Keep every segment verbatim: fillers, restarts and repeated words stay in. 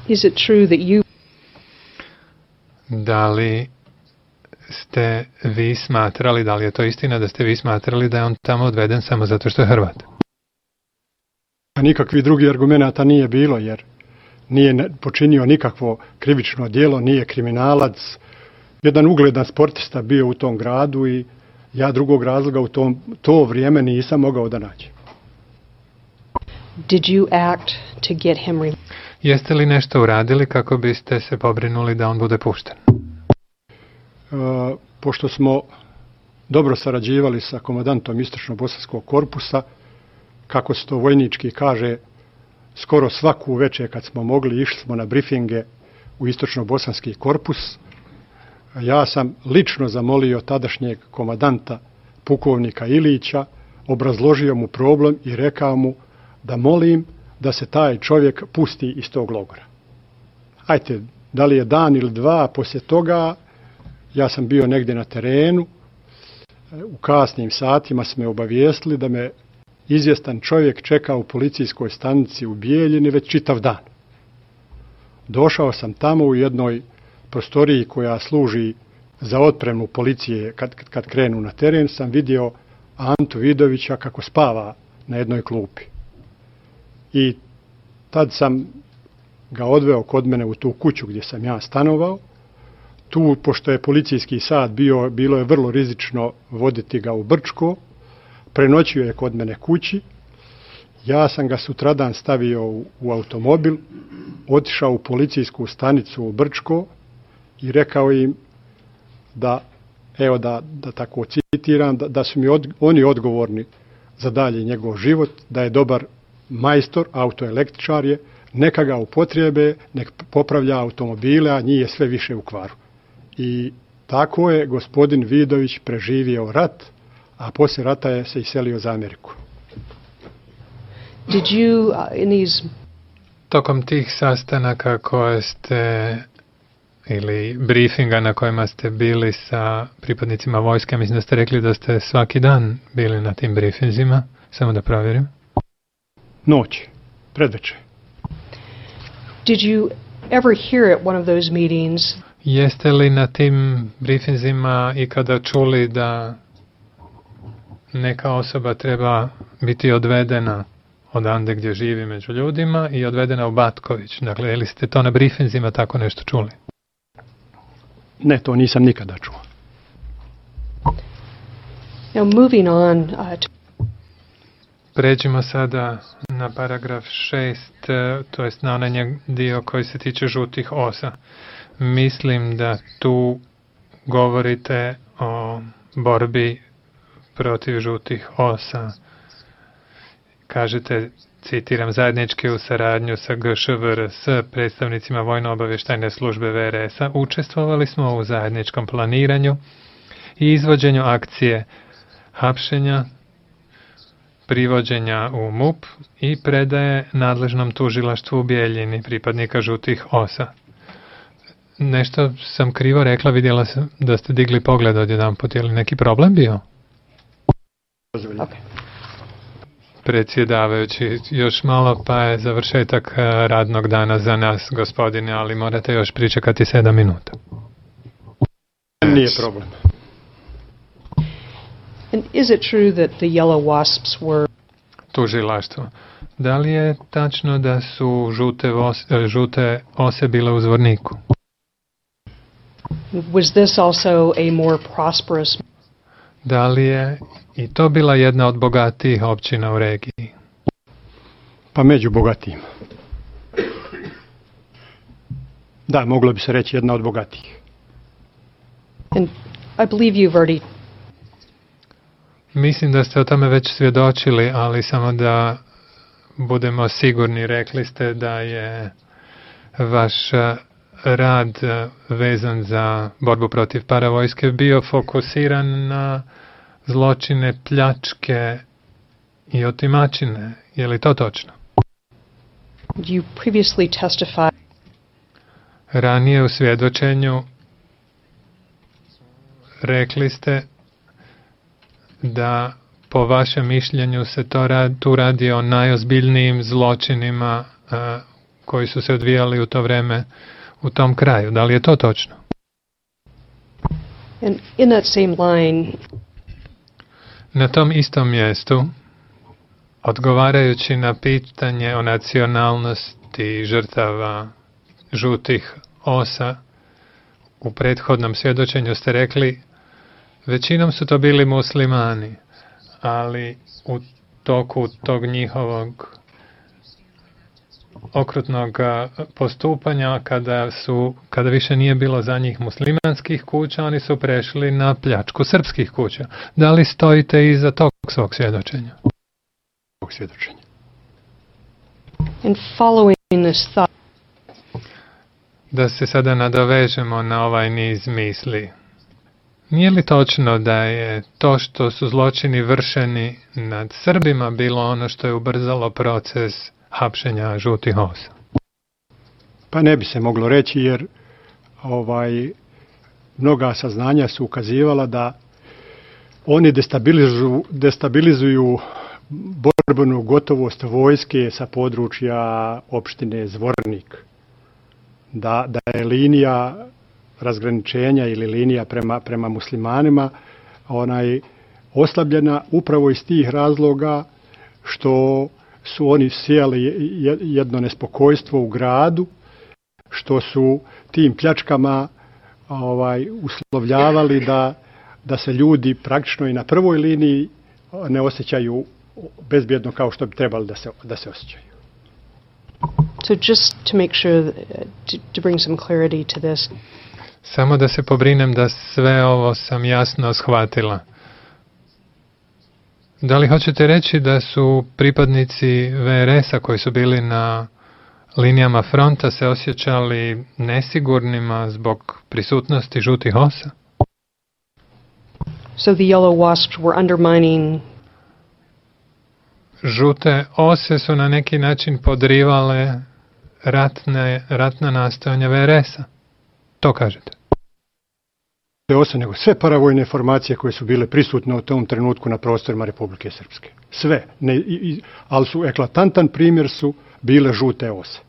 Is it true that you... Da li ste vi smatrali, da li je to istina da ste vi smatrali da je on tamo odveden samo zato što je Hrvat? A nikakvi drugi argumenata nije bilo, jer nije počinio nikakvo krivično djelo, nije kriminalac. Jedan ugledan sportista bio u tom gradu i ja drugog razloga u tom, to vrijeme nisam mogao da nađem. Did you act to get him re- Jeste li nešto uradili kako biste se pobrinuli da on bude pušten? Uh, pošto smo dobro sarađivali sa komandantom Istočno-bosanskog korpusa, kako se to vojnički kaže, skoro svaku večer kad smo mogli išli smo na brifinge u Istočno-bosanski korpus. Ja sam lično zamolio tadašnjeg komandanta pukovnika Ilića, obrazložio mu problem i rekao mu da molim da se taj čovjek pusti iz tog logora. Ajte, da li je dan ili dva poslije toga, ja sam bio negdje na terenu, u kasnim satima su me obavijestili da me izvjestan čovjek čeka u policijskoj stanici u Bijeljini već čitav dan. Došao sam tamo u jednoj prostoriji koja služi za otpremu policije kad, kad krenu na teren, sam vidio Antu Vidovića kako spava na jednoj klupi. I tad sam ga odveo kod mene u tu kuću gdje sam ja stanovao. Tu, pošto je policijski sat bio, bilo je vrlo rizično voditi ga u Brčko, prenoćio je kod mene kući. Ja sam ga sutradan stavio u, u automobil, otišao u policijsku stanicu u Brčko i rekao im da, evo da, da tako citiram, da, da su mi od, oni odgovorni za dalje njegov život, da je dobar majstor, autoelektričar je, neka ga upotrijebe, nek popravlja automobile, a njih je sve više u kvaru. I tako je gospodin Vidović preživio rat, a poslije rata je se iselio za Ameriku. Did you, uh, in these... Tokom tih sastanaka koje ste, ili briefinga na kojima ste bili sa pripadnicima vojske, mislim da ste rekli da ste svaki dan bili na tim briefinzima, samo da provjerim. Noć, predvečer. Did you ever hear at one of those meetings? Jeste li na tim briefinzima ikada čuli da neka osoba treba biti odvedena odande gdje živi među ljudima i odvedena u Batković? Dakle, ili ste to na briefinzima tako nešto čuli? Ne, to nisam nikada čuo. Now moving on uh, to... Pređimo sada na paragraf šest, to jest na onaj dio koji se tiče žutih osa. Mislim da tu govorite o borbi protiv žutih osa. Kažete, citiram, zajednički u saradnju sa G Š V R S, predstavnicima Vojno-obavještajne službe V R S-a, učestvovali smo u zajedničkom planiranju i izvođenju akcije hapšenja, privođenja u M U P i predaje nadležnom tužilaštvu u Bijeljini pripadnika žutih osa. Nešto sam krivo rekla, vidjela sam da ste digli pogled odjedanput. Je li neki problem bio? Okay. Predsjedavajući, još malo pa je završetak radnog dana za nas, gospodine, ali morate još pričekati sedam minuta. Nije problem. And is it true that the Yellow Wasps were... Tužilaštvo. Da li je tačno da su žute, vos, žute ose bile u Zvorniku? Was this also a more prosperous... Da li je i to bila jedna od bogatijih općina u regiji? Pa među bogatijima. Da, moglo bi se reći jedna od bogatijih. And I believe you've already... Mislim da ste o tome već svjedočili, ali samo da budemo sigurni, rekli ste da je vaš rad vezan za borbu protiv paravojske bio fokusiran na zločine, pljačke i otimačine. Je li to točno? You previously testified... Ranije u svjedočenju rekli ste da po vašem mišljenju se to rad, tu radi o najozbiljnijim zločinima uh, koji su se odvijali u to vreme u tom kraju. Da li je to točno? And in that same line, na tom istom mjestu, odgovarajući na pitanje o nacionalnosti žrtava žutih osa, u prethodnom svjedočenju ste rekli, većinom su to bili muslimani, ali u toku tog njihovog okrutnog postupanja, kada, su, kada više nije bilo za njih muslimanskih kuća, oni su prešli na pljačku srpskih kuća. Da li stojite iza tog svog svjedočenja? svjedočenja. And following this thought, da se sada nadovežemo na ovaj niz misli. Nije li točno da je to što su zločini vršeni nad Srbima bilo ono što je ubrzalo proces hapšenja žutih osa? Pa ne bi se moglo reći, jer ovaj mnoga saznanja su ukazivala da oni destabilizuju, destabilizuju borbenu gotovost vojske sa područja opštine Zvornik. Da, da je linija razgraničenja ili linija prema, prema muslimanima onaj oslabljena upravo iz tih razloga što su oni sijali jedno nespokojstvo u gradu, što su tim pljačkama ovaj, uslovljavali da, da se ljudi praktično i na prvoj liniji ne osjećaju bezbjedno kao što bi trebali da se, da se osjećaju. So just to make sure, that, to, to bring some clarity to this. Samo da se pobrinem da sve ovo sam jasno shvatila. Da li hoćete reći da su pripadnici V R S-a koji su bili na linijama fronta se osjećali nesigurnima zbog prisutnosti žutih osa? So the yellow wasps were undermining. Žute ose su na neki način podrivale ratne, ratna nastojanja V R S-a. To kažete? Ne ose, nego sve paravojne formacije koje su bile prisutne u tom trenutku na prostorima Republike Srpske. Sve. Ne, i, ali su eklatantan primjer su bile žute ose.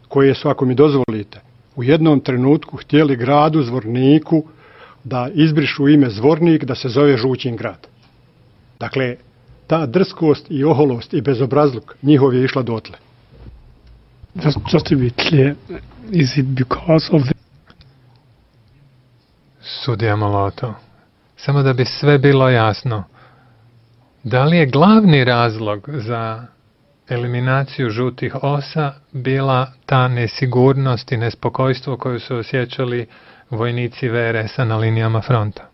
Koje su, ako mi dozvolite, u jednom trenutku htjeli gradu Zvorniku da izbrišu ime Zvornik, da se zove Žućin grad. Dakle, ta drskost i oholost i bezobrazluk njihov je išla dotle. Just, just to be clear, is it because of the... Sudija Moloto, samo da bi sve bilo jasno, da li je glavni razlog za eliminaciju žutih osa bila ta nesigurnost i nespokojstvo koju su osjećali vojnici V R S-a na linijama fronta?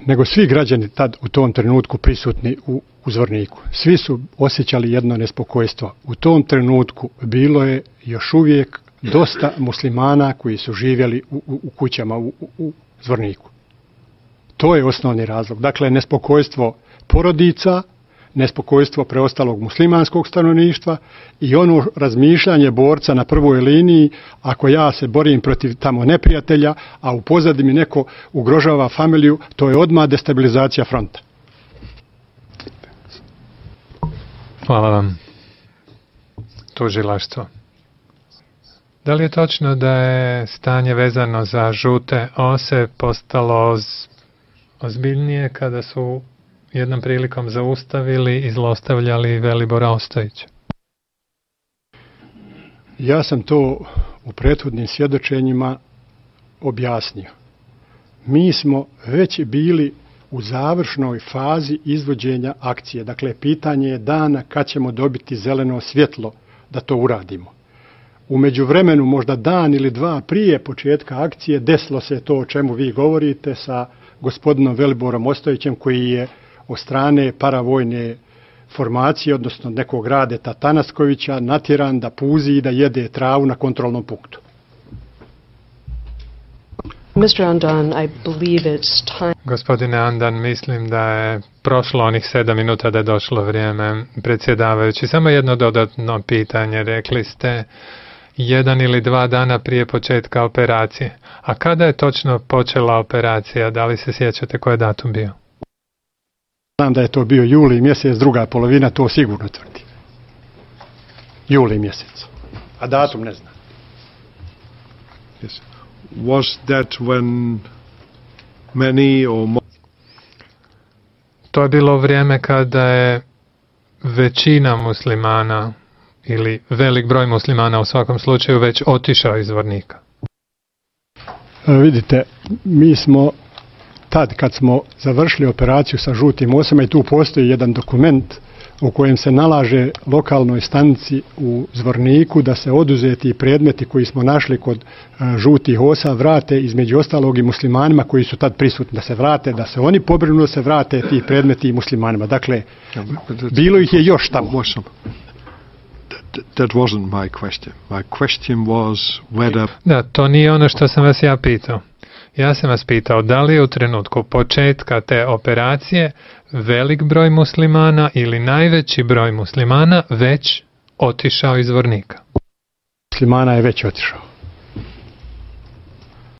Nego svi građani tad u tom trenutku prisutni u, u Zvorniku. Svi su osjećali jedno nespokojstvo. U tom trenutku bilo je još uvijek dosta muslimana koji su živjeli u, u, u kućama u, u, u Zvorniku. To je osnovni razlog. Dakle, nespokojstvo porodica, nespokojstvo preostalog muslimanskog stanovništva i ono razmišljanje borca na prvoj liniji, ako ja se borim protiv tamo neprijatelja, a u pozadini mi neko ugrožava familiju, to je odmah destabilizacija fronta. Hvala vam. Tužilaštvo. Da li je točno da je stanje vezano za žute ose postalo oz, ozbiljnije kada su jednom prilikom zaustavili i zlostavljali Velibora Ostojića? Ja sam to u prethodnim svjedočenjima objasnio. Mi smo već bili u završnoj fazi izvođenja akcije. Dakle, pitanje je dana kad ćemo dobiti zeleno svjetlo da to uradimo. U međuvremenu, možda dan ili dva prije početka akcije, desilo se to o čemu vi govorite sa gospodinom Veliborom Ostojićem, koji je od strane paravojne formacije, odnosno nekog Radeta Tanaskovića, natjeran da puzi i da jede travu na kontrolnom punktu. mister Andan, I believe it's time. Gospodine Andan, mislim da je prošlo onih sedam minuta da je došlo vrijeme. Predsjedavajući, samo jedno dodatno pitanje. Rekli ste jedan ili dva dana prije početka operacije. A kada je točno počela operacija? Da li se sjećate koji je datum bio? Znam da je to bio juli mjesec, druga polovina, to sigurno tvrdi. juli mjesec. A datum ne zna. Yes. Was that when many or more To je bilo vrijeme kada je većina muslimana ili velik broj muslimana u svakom slučaju već otišao iz Zvornika. E, vidite, mi smo tad kad smo završili operaciju sa žutim osama i tu postoji jedan dokument u kojem se nalaže lokalnoj stanici u Zvorniku da se oduzeti predmeti koji smo našli kod e, žutih osa vrate, između ostalog i muslimanima koji su tad prisutni, da se vrate, da se oni pobrinu da se vrate ti predmeti i muslimanima. Dakle, bilo ih je još tamo. was some, that, that wasn't my question. My question was whether Da, to nije ono što sam vas ja pitao. Ja sam vas pitao da li je u trenutku početka te operacije velik broj muslimana ili najveći broj muslimana već otišao iz Zvornika. Muslimana je već otišao.